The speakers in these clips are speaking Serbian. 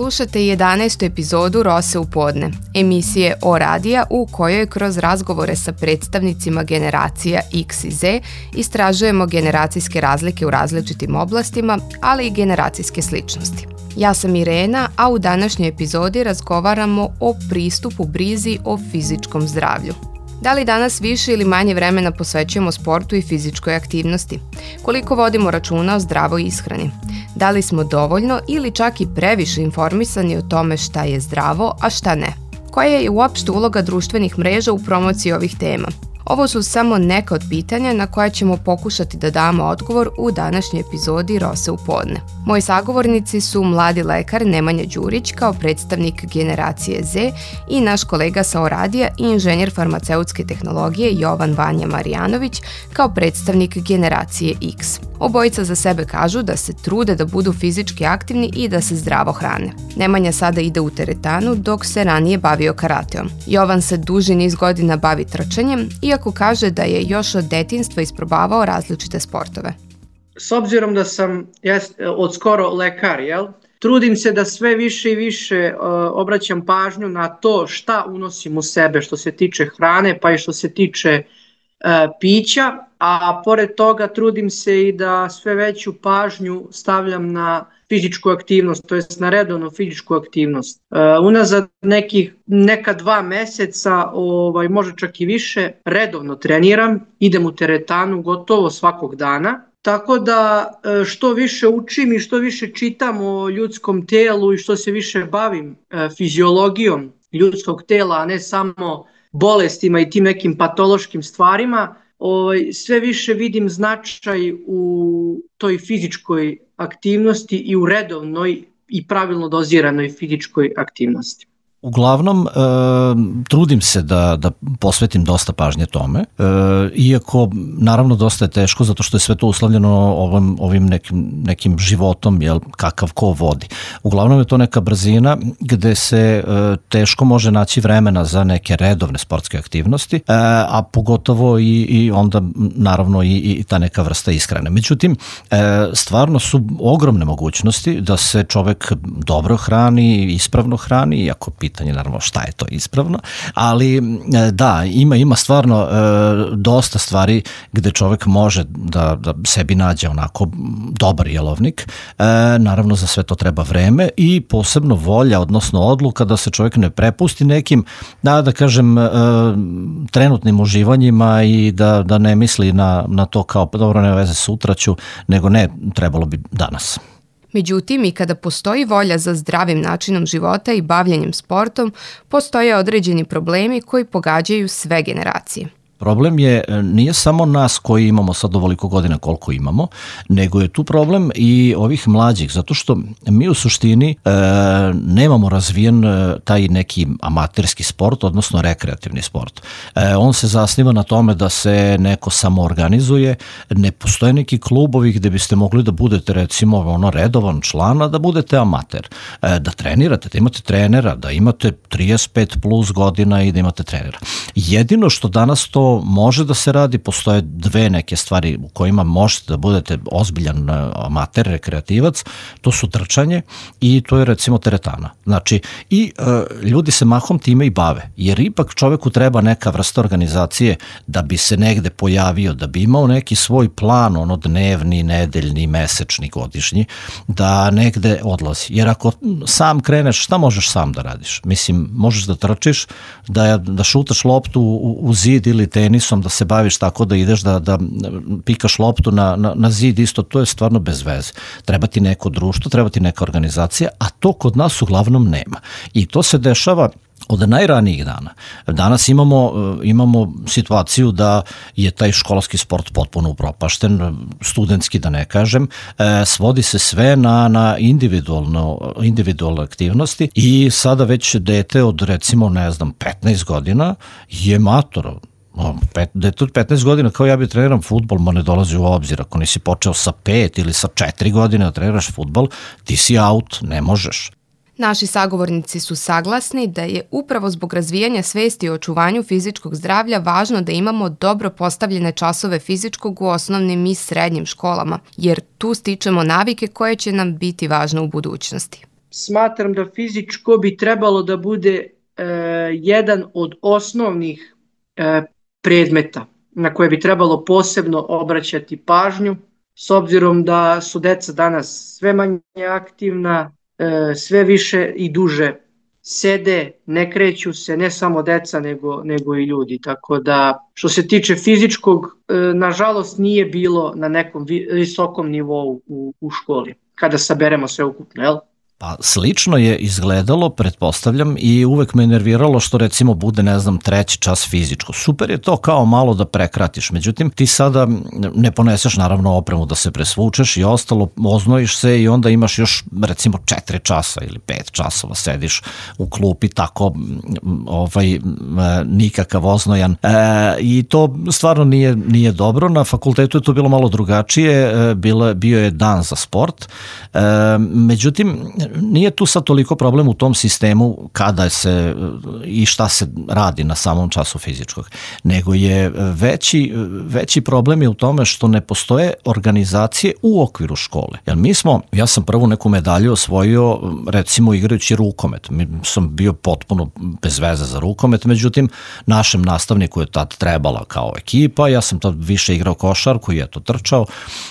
Slušate 11. epizodu Rose u podne, emisije O radija u kojoj kroz razgovore sa predstavnicima generacija X i Z istražujemo generacijske razlike u različitim oblastima, ali i generacijske sličnosti. Ja sam Irena, a u današnjoj epizodi razgovaramo o pristupu brizi o fizičkom zdravlju. Da li danas više ili manje vremena posvećujemo sportu i fizičkoj aktivnosti? Koliko vodimo računa o zdravoj ishrani? Da li smo dovoljno ili čak i previše informisani o tome šta je zdravo, a šta ne? Koja je uopšte uloga društvenih mreža u promociji ovih tema? Ovo su samo neka od pitanja na koja ćemo pokušati da damo odgovor u današnjoj epizodi Rose u podne. Moji sagovornici su mladi lekar Nemanja Đurić kao predstavnik generacije Z i naš kolega sa Oradija i inženjer farmaceutske tehnologije Jovan Vanja Marijanović kao predstavnik generacije X. Obojica za sebe kažu da se trude da budu fizički aktivni i da se zdravo hrane. Nemanja sada ide u teretanu dok se ranije bavio karateom. Jovan se duži niz godina bavi trčanjem, iako kaže da je još od detinjstva isprobavao različite sportove. S obzirom da sam od skoro lekar, trudim se da sve više i više obraćam pažnju na to šta unosim u sebe što se tiče hrane pa i što se tiče pića, a pored toga trudim se i da sve veću pažnju stavljam na fizičku aktivnost, to jest na redovnu fizičku aktivnost. Unazad neka 2 meseca, može čak i više, redovno treniram, idem u teretanu gotovo svakog dana. Tako da što više učim i što više čitam o ljudskom telu i što se više bavim fiziologijom ljudskog tela, a ne samo bolestima i tim nekim patološkim stvarima, sve više vidim značaj u toj fizičkoj aktivnosti i u redovnoj i pravilno doziranoj fizičkoj aktivnosti. Uglavnom, trudim se da posvetim dosta pažnje tome, iako naravno dosta je teško zato što je sve to uslovljeno ovim nekim životom, kakav ko vodi. Uglavnom je to neka brzina gde se teško može naći vremena za neke redovne sportske aktivnosti, a pogotovo i onda naravno i ta neka vrsta ishrane. Međutim, stvarno su ogromne mogućnosti da se čovek dobro hrani, ispravno hrani, iako pitanje naravno šta je to ispravno, ali da, ima stvarno dosta stvari gde čovek može da sebi nađe onako dobar jelovnik. Naravno za sve to treba vreme i posebno volja, odnosno odluka da se čovek ne prepusti nekim, da kažem, trenutnim uživanjima i da ne misli na to kao dobro, ne veze sutra ću, nego ne, trebalo bi danas. Međutim, i kada postoji volja za zdravim načinom života i bavljenjem sportom, postoje određeni problemi koji pogađaju sve generacije. Problem nije samo nas koji imamo sad ovoliko godina koliko imamo, nego je tu problem i ovih mlađih, zato što mi u suštini nemamo razvijen taj neki amaterski sport, odnosno rekreativni sport. On se zasniva na tome da se neko samoorganizuje, ne postoje neki klubovi gde biste mogli da budete recimo redovan član, a da budete amater, da trenirate, da imate trenera, da imate 35 plus godina i da imate trenera. Jedino što danas to može da se radi, postoje 2 neke stvari u kojima možete da budete ozbiljan amater, rekreativac, to su trčanje i to je recimo teretana. Znači, i ljudi se mahom time i bave, jer ipak čoveku treba neka vrsta organizacije da bi se negde pojavio, da bi imao neki svoj plan, dnevni, nedeljni, mesečni, godišnji, da negde odlazi. Jer ako sam kreneš, šta možeš sam da radiš? Mislim, možeš da trčiš, da šutaš loptu u zid ili tenisom, da se baviš tako da ideš da pikaš loptu na zid, isto to je stvarno bez veze. Treba ti neko društvo, treba ti neka organizacija, a to kod nas uglavnom nema. I to se dešava od najranijih dana. Danas imamo situaciju da je taj školski sport potpuno upropašten, studentski da ne kažem, svodi se sve na individualne aktivnosti i sada već dete od recimo 15 godina je mator. Dete od 15 godina kao ja bi treniram fudbal, ne dolazi u obzir. Ako nisi počeo sa 5 ili sa 4 godine da treniraš fudbal, ti si out, ne možeš. Naši sagovornici su saglasni da je upravo zbog razvijanja svesti o očuvanju fizičkog zdravlja važno da imamo dobro postavljene časove fizičkog u osnovnim i srednjim školama, jer tu stičemo navike koje će nam biti važne u budućnosti. smatram da fizičko bi trebalo da bude jedan od osnovnih predmeta na koje bi trebalo posebno obraćati pažnju, s obzirom da su deca danas sve manje aktivna, sve više i duže sede, ne kreću se, ne samo deca nego i ljudi. Tako da što se tiče fizičkog, nažalost nije bilo na nekom visokom nivou u školi, kada saberemo sve ukupno, jel? Pa slično je izgledalo, pretpostavljam, i uvek me nerviralo što recimo bude, ne znam, 3. čas fizičko. Super je to kao malo da prekratiš, međutim ti sada ne poneseš naravno opremu da se presvučeš i ostalo, oznojiš se i onda imaš još recimo 4 časa ili 5 časova sediš u klupi tako nikakav oznojan i to stvarno nije dobro. Na fakultetu je to bilo malo drugačije, bio je dan za sport, međutim nije tu sad toliko problem u tom sistemu kada se i šta se radi na samom času fizičkog, nego je veći problem je u tome što ne postoje organizacije u okviru škole. Jer ja sam prvu neku medalju osvojio recimo igrajući rukomet. Sam bio potpuno bez veze za rukomet, međutim našem nastavniku je tad trebala kao ekipa, ja sam tad više igrao košarku i eto trčao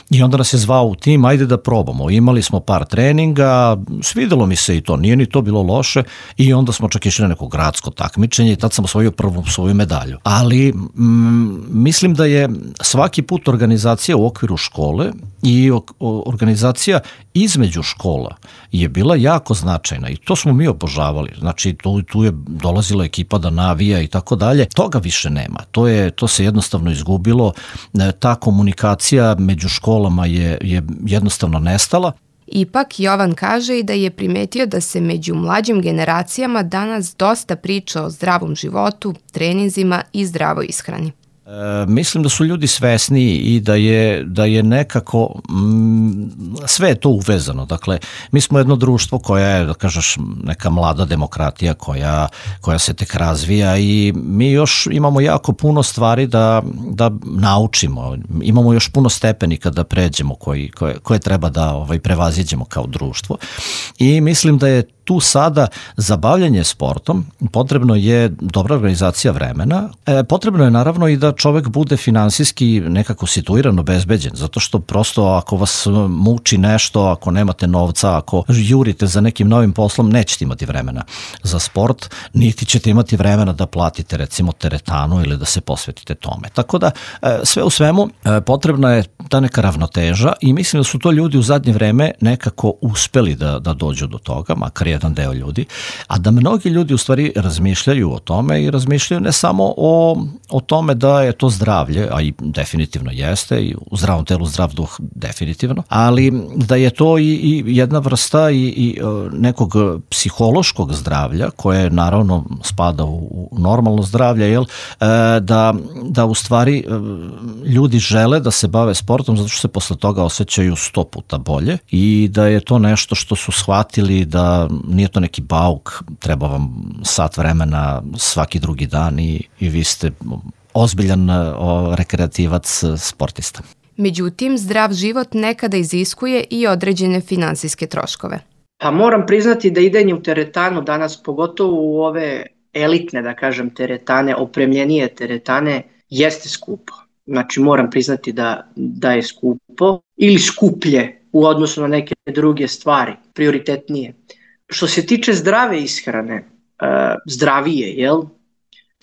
i onda nas je zvao u tim, ajde da probamo. Imali smo par treninga, svidelo mi se i to, nije ni to bilo loše i onda smo čak išli na neko gradsko takmičenje i tad sam osvojio prvu svoju medalju. Ali mislim da je svaki put organizacija u okviru škole i organizacija između škola je bila jako značajna i to smo mi obožavali. Znači tu je dolazila ekipa da navija i tako dalje. Toga više nema. To se jednostavno izgubilo. Ta komunikacija među školama je jednostavno nestala. Ipak, Jovan kaže i da je primetio da se među mlađim generacijama danas dosta priča o zdravom životu, treninzima i zdravoj ishrani. Mislim da su ljudi svesniji i da je nekako sve je to uvezano. Dakle, mi smo jedno društvo koja je, da kažeš, neka mlada demokratija koja se tek razvija i mi još imamo jako puno stvari da naučimo. Imamo još puno stepenika da pređemo koje treba da prevaziđemo kao društvo. I mislim da je tu sada za bavljanje sportom potrebno je dobra organizacija vremena. Potrebno je naravno i da čovek bude finansijski nekako situiran, obezbeđen, zato što prosto ako vas muči nešto, ako nemate novca, ako jurite za nekim novim poslom, nećete imati vremena za sport, niti ćete imati vremena da platite recimo teretanu ili da se posvetite tome. Tako da sve u svemu potrebna je ta neka ravnoteža i mislim da su to ljudi u zadnje vreme nekako uspeli da dođu do toga, makar jedan deo ljudi, a da mnogi ljudi u stvari razmišljaju o tome i razmišljaju ne samo o tome da je to zdravlje, a i definitivno jeste, i u zdravom telu zdrav duh definitivno, ali da je to i jedna vrsta i nekog psihološkog zdravlja koje naravno spada u normalno zdravlje, jel? Da u stvari ljudi žele da se bave sportom zato što se posle toga osjećaju 100 puta bolje i da je to nešto što su shvatili da nije to neki bauk, treba vam sat vremena svaki drugi dan i vi ste ozbiljan rekreativac, sportista. Međutim, zdrav život nekada iziskuje i određene finansijske troškove. Pa moram priznati da idenje u teretanu danas, pogotovo u ove elitne, da kažem, teretane, opremljenije teretane, jeste skupo. Znači moram priznati da je skupo ili skuplje u odnosu na neke druge stvari, prioritetnije. Što se tiče zdrave ishrane, zdravije, jel?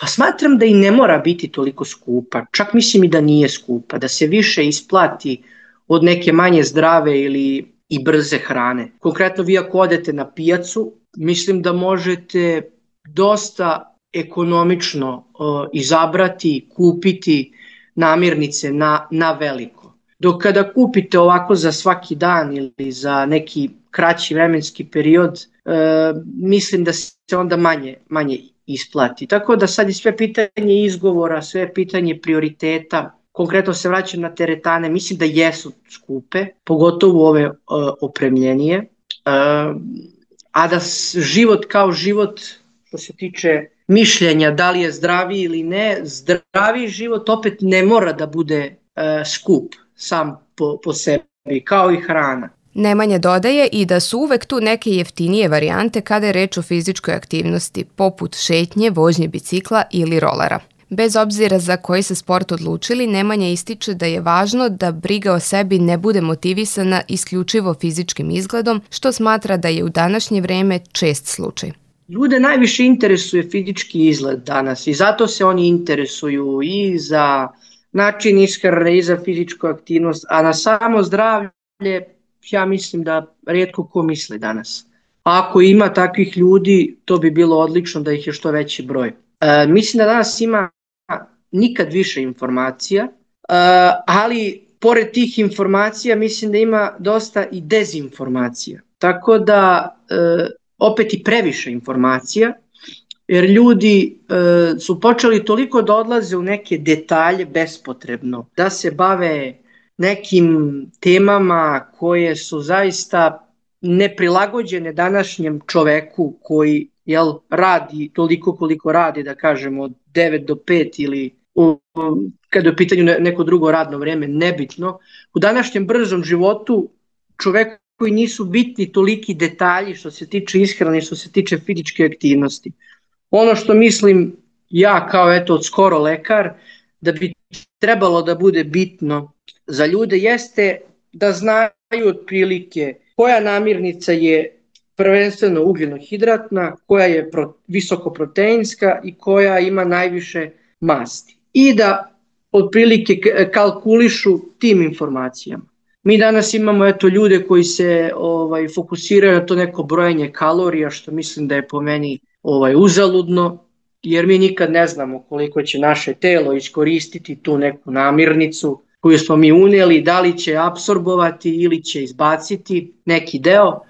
Pa smatram da i ne mora biti toliko skupa, čak mislim i da nije skupa, da se više isplati od neke manje zdrave ili i brze hrane. Konkretno vi ako odete na pijacu, mislim da možete dosta ekonomično izabrati, kupiti namirnice na veliko. Dok kada kupite ovako za svaki dan ili za neki kraći vremenski period, mislim da se onda manje isplati. Tako da sad je sve pitanje izgovora, sve je pitanje prioriteta. Konkretno se vraćam na teretane, mislim da jesu skupe, pogotovo ove opremljenije. A da život kao život, što se tiče mišljenja da li je zdraviji ili ne, zdraviji život opet ne mora da bude skup sam po sebi, kao i hrana. Nemanja dodaje i da su uvek tu neke jeftinije varijante kada je reč o fizičkoj aktivnosti, poput šetnje, vožnje bicikla ili rolera. Bez obzira za koji se sport odlučili, Nemanja ističe da je važno da briga o sebi ne bude motivisana isključivo fizičkim izgledom, što smatra da je u današnje vreme čest slučaj. Ljude najviše interesuje fizički izgled danas i zato se oni interesuju i za način ishrane i za fizičku aktivnost, a na samo zdravlje ja mislim da rijetko ko misli danas. Ako ima takvih ljudi, to bi bilo odlično da ih je što veći broj. Mislim da danas ima nikad više informacija, ali pored tih informacija mislim da ima dosta i dezinformacija. Tako da opet i previše informacija, jer ljudi su počeli toliko da odlaze u neke detalje bespotrebno, da se bave nekim temama koje su zaista neprilagođene današnjem čoveku koji radi toliko koliko radi, da kažemo od 9 do 5 ili kada je u pitanju neko drugo radno vrijeme, nebitno. U današnjem brzom životu čoveku koji nisu bitni toliki detalji što se tiče ishrane, što se tiče fizičke aktivnosti. Ono što mislim ja kao od skoro lekar da bi trebalo da bude bitno za ljude jeste da znaju otprilike koja namirnica je prvenstveno ugljenohidratna, koja je visokoproteinska i koja ima najviše masti. I da otprilike kalkulišu tim informacijama. Mi danas imamo ljude koji se fokusiraju na to neko brojenje kalorija, što mislim da je po meni uzaludno, jer mi nikad ne znamo koliko će naše telo iskoristiti tu neku namirnicu koju smo mi unijeli, da li će apsorbovati ili će izbaciti neki deo.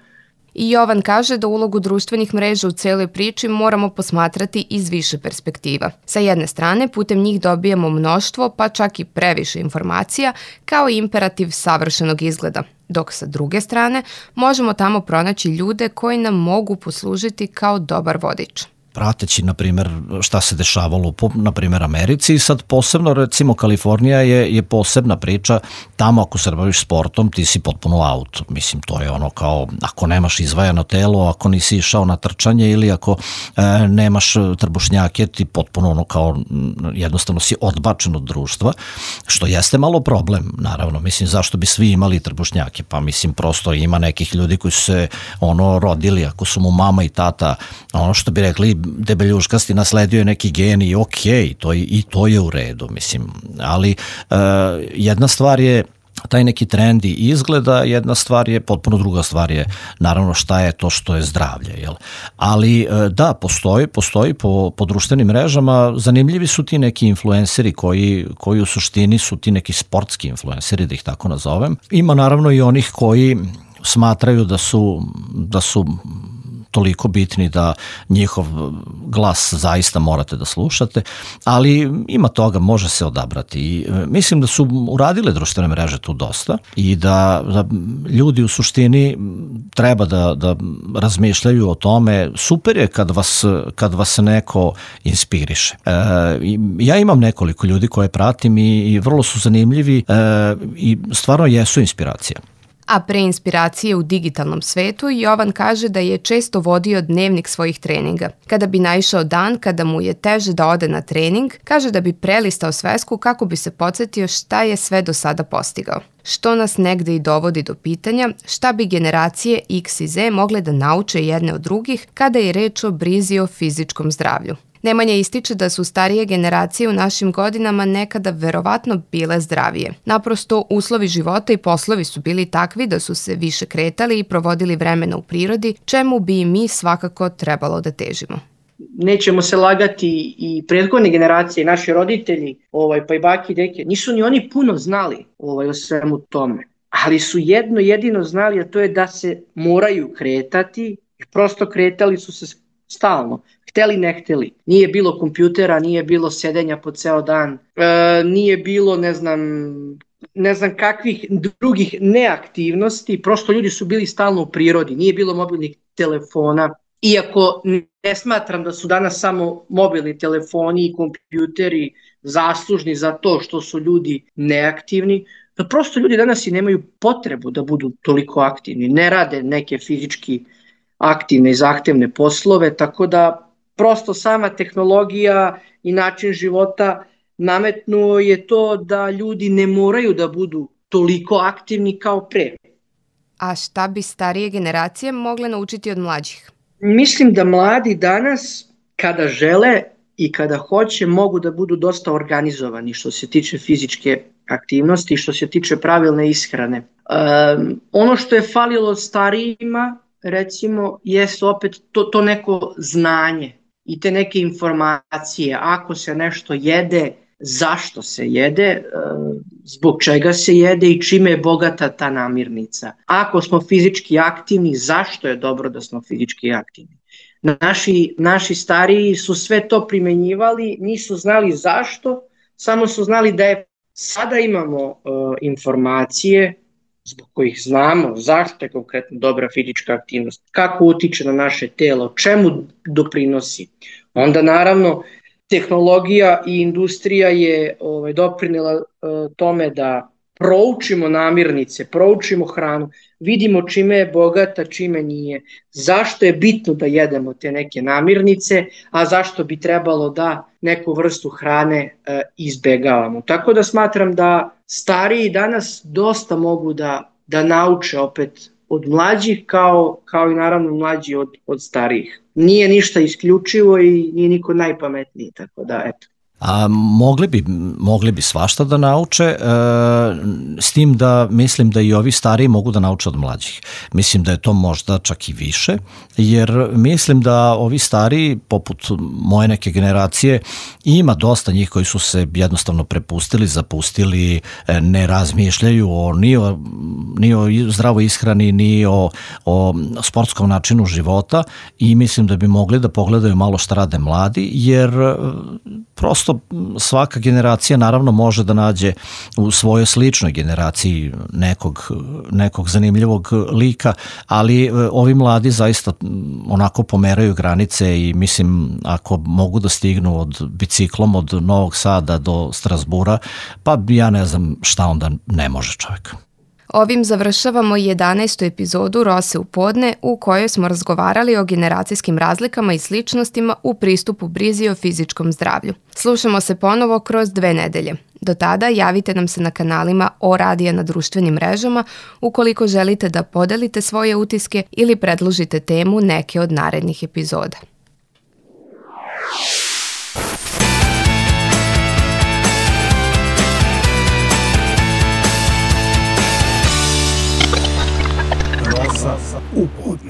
I Jovan kaže da ulogu društvenih mreža u celoj priči moramo posmatrati iz više perspektiva. Sa jedne strane, putem njih dobijamo mnoštvo, pa čak i previše informacija, kao i imperativ savršenog izgleda, dok sa druge strane možemo tamo pronaći ljude koji nam mogu poslužiti kao dobar vodič. Prateći, na primjer, šta se dešavalo u, na primjer, Americi i sad posebno, recimo, Kalifornija je posebna priča. Tamo ako se baviš sportom, ti si potpuno out. Mislim, to je ono kao, ako nemaš izvajano telo, ako nisi išao na trčanje ili ako nemaš trbušnjake, ti potpuno ono kao, jednostavno si odbačen od društva, što jeste malo problem, naravno. Mislim, zašto bi svi imali trbušnjake? Pa mislim, prosto ima nekih ljudi koji su se rodili, ako su mu mama i tata, ono što bi rekli, debeljuškasti, nasledio je neki gen i okej, to je u redu, mislim. Ali jedna stvar je taj neki trend i izgleda, jedna stvar je, potpuno druga stvar je naravno šta je to što je zdravlje. Jel? Ali da, postoji po društvenim mrežama, zanimljivi su ti neki influenceri koji u suštini su ti neki sportski influenceri, da ih tako nazovem. Ima naravno i onih koji smatraju da su toliko bitni da njihov glas zaista morate da slušate, ali ima toga, može se odabrati. I mislim da su uradile društvene mreže tu dosta i da ljudi u suštini treba da razmišljaju o tome. Super je kad vas neko inspiriše. Ja imam nekoliko ljudi koje pratim i vrlo su zanimljivi i stvarno jesu inspiracija. A pre inspiracije u digitalnom svetu, Jovan kaže da je često vodio dnevnik svojih treninga. Kada bi naišao dan kada mu je teže da ode na trening, kaže da bi prelistao svesku kako bi se podsjetio šta je sve do sada postigao. Što nas negde i dovodi do pitanja šta bi generacije X i Z mogle da nauče jedne od drugih kada je reč o brizi o fizičkom zdravlju. Nemanja ističe da su starije generacije u našim godinama nekada verovatno bile zdravije. Naprosto, uslovi života i poslovi su bili takvi da su se više kretali i provodili vremena u prirodi, čemu bi i mi svakako trebalo da težimo. Nećemo se lagati, i prethodne generacije, naši roditelji, pa i baki i deke, nisu ni oni puno znali o svemu tome. Ali su jedno jedino znali, a to je da se moraju kretati i prosto kretali su se stalno. Hteli, ne hteli. Nije bilo kompjutera, nije bilo sedenja po ceo dan, nije bilo ne znam kakvih drugih neaktivnosti, prosto ljudi su bili stalno u prirodi, nije bilo mobilnih telefona. Iako ne smatram da su danas samo mobilni telefoni i kompjuteri zaslužni za to što su ljudi neaktivni, da prosto ljudi danas i nemaju potrebu da budu toliko aktivni, ne rade neke fizički aktivne i zahtevne poslove, tako da prosto sama tehnologija i način života nametnuo je to da ljudi ne moraju da budu toliko aktivni kao pre. A šta bi starije generacije mogle naučiti od mlađih? Mislim da mladi danas, kada žele i kada hoće, mogu da budu dosta organizovani što se tiče fizičke aktivnosti i što se tiče pravilne ishrane. Ono što je falilo starijima, recimo, jeste opet to neko znanje i te neke informacije. Ako se nešto jede, zašto se jede, zbog čega se jede i čime je bogata ta namirnica. Ako smo fizički aktivni, zašto je dobro da smo fizički aktivni? Naši stariji su sve to primenjivali, nisu znali zašto, samo su znali da je. Sada imamo informacije zbog kojih znamo zašto je konkretno dobra fizička aktivnost, kako utiče na naše telo, čemu doprinosi. Onda naravno tehnologija i industrija je doprinela tome da proučimo namirnice, proučimo hranu, vidimo čime je bogata, čime nije, zašto je bitno da jedemo te neke namirnice, a zašto bi trebalo da neku vrstu hrane izbegavamo. Tako da smatram da stariji danas dosta mogu da nauče opet od mlađih kao i naravno mlađi od starijih. Nije ništa isključivo i nije niko najpametniji, tako da eto. A mogli bi svašta da nauče, s tim da mislim da i ovi stariji mogu da nauče od mlađih. Mislim da je to možda čak i više, jer mislim da ovi stariji, poput moje neke generacije, ima dosta njih koji su se jednostavno prepustili, zapustili, ne razmišljaju ni o zdravoj ishrani, ni o sportskom načinu života i mislim da bi mogli da pogledaju malo šta rade mladi, jer prosto svaka generacija naravno može da nađe u svojoj sličnoj generaciji nekog zanimljivog lika, ali ovi mladi zaista onako pomeraju granice i mislim ako mogu da stignu biciklom od Novog Sada do Strasbura, pa ja ne znam šta onda ne može čovjek. Ovim završavamo 11. epizodu Rose u podne u kojoj smo razgovarali o generacijskim razlikama i sličnostima u pristupu brizi o fizičkom zdravlju. Slušamo se ponovo kroz 2 nedelje. Do tada javite nam se na kanalima O Radija na društvenim mrežama ukoliko želite da podelite svoje utiske ili predložite temu neke od narednih epizoda. U podne.